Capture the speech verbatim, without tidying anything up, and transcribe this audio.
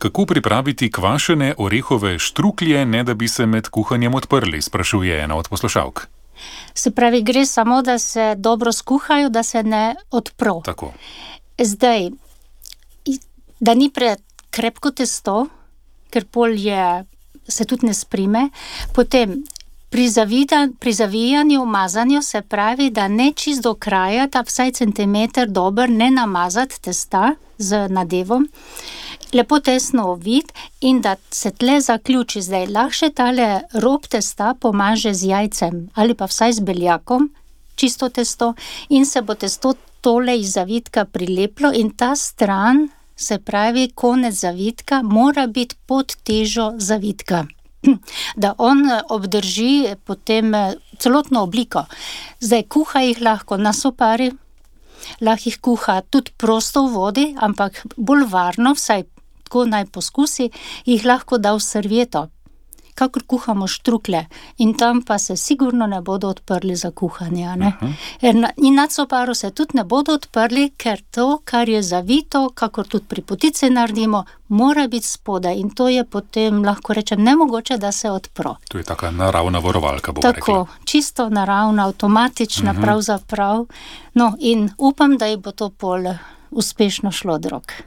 Kako pripraviti kvašene orehove štruklje, ne da bi se med kuhanjem odprli, sprašuje ena od poslušalk. Se pravi, gre samo, da se dobro skuhajo, da se ne odpro. Tako. Zdaj, da ni prekrepko testo, ker pol je, se tudi ne sprime, potem pri, zavida, pri zavijanju, mazanju se pravi, da ne čist do kraja, da vsaj centimeter dober ne namazati testa z nadevom, lepo tesno ovit in da se tle zaključi. Zdaj, lahko tale rob testa pomaže z jajcem ali pa vsaj z beljakom, čisto testo, in se bo testo tole iz zavitka prileplo in ta stran, se pravi konec zavitka, mora biti pod težo zavitka, da on obdrži potem celotno obliko. Zdaj, kuha jih lahko na sopari, lahko jih kuha tudi prosto v vodi, ampak bolj varno, vsaj tako naj poskusi, jih lahko da v servieto, kakor kuhamo štrukle, in tam pa se sigurno ne bodo odprli za kuhanje. Ne? Uh-huh. In nad soparo se tudi ne bodo odprli, ker to, kar je zavito, kakor tudi pri potici naredimo, mora biti spodaj in to je potem, lahko rečem, nemogoče, da se odpro. To je taka naravna varovalka, bomo rekli. Tako, čisto naravna, avtomatična, uh-huh. pravzaprav. No, in upam, da ji bo to pol uspešno šlo od rok.